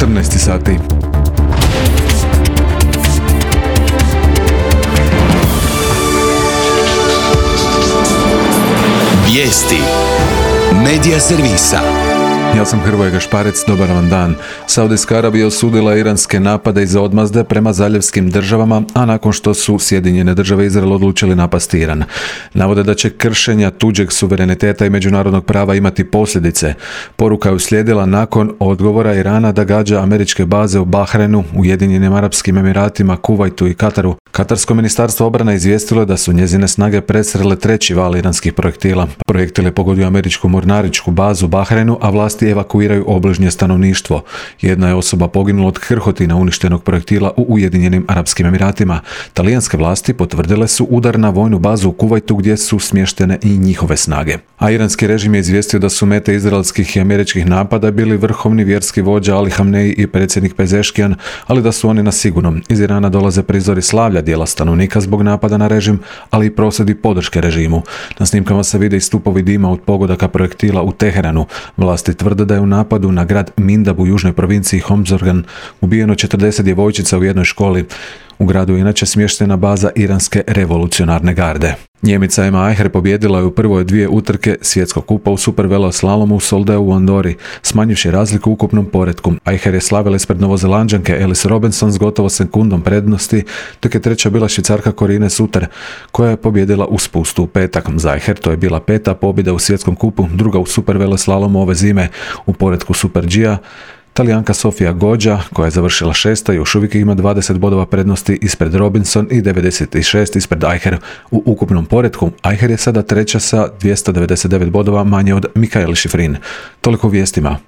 14 sati. Vijesti Medija servisa. Ja sam Hrvoje Gašparec, dobar vam dan. Saudijska Arabija osudila iranske napade iz odmazde prema zaljevskim državama, a nakon što su Sjedinjene države i Izrael odlučili napasti Iran. Navode da će kršenja tuđeg suvereniteta i međunarodnog prava imati posljedice. Poruka je uslijedila nakon odgovora Irana da gađa američke baze u Bahrenu, Ujedinjenim Arapskim Emiratima, Kuvajtu i Kataru. Katarsko ministarstvo obrane izvijestilo je da su njezine snage presrele treći val iranskih projektila. Projektil je pogodio američku mornaričku bazu u Bahrenu, a vlasti evakuiraju obližnje stanovništvo. Jedna je osoba poginula od krhotina uništenog projektila u Ujedinjenim Arapskim Emiratima. Talijanske vlasti potvrdile su udar na vojnu bazu u Kuvajtu gdje su smještene i njihove snage. A iranski režim je izvijestio da su mete izraelskih i američkih napada bili vrhovni vjerski vođa Ali Hamneji i predsjednik Pezeškijan, ali da su oni na sigurnom. Iz Irana dolaze prizori slavlja dijela stanovnika zbog napada na režim, ali i prosvjedi podrške režimu. Na snimkama se vide i stupovi dima od pogodaka projektila u Teheranu. Vlasti tvrde da je u napadu na grad Mindab u južnoj provinciji Homzorgan ubijeno 40 djevojčica u jednoj školi. U gradu je inače smještena baza iranske revolucionarne garde. Njemica Ema Eicher pobijedila je u prvoj dvije utrke svjetskog kupa u superveloslalomu u Soldeu u Andori, smanjivši razliku u ukupnom poretku. Eicher je slavila ispred Novozelanđanke Alice Robinson s gotovo sekundom prednosti, dok je treća bila Švicarka Corine Suter, koja je pobijedila u spustu u petak. Za Eicher to je bila peta pobjeda u svjetskom kupu, druga u superveloslalomu ove zime. U poretku Super G-a Talijanka Sofia Goggia, koja je završila šesta, još uvijek ima 20 bodova prednosti ispred Robinson i 96 ispred Eicher. U ukupnom poretku Eicher je sada treća sa 299 bodova manje od Mikael Schifrin. Toliko u vijestima.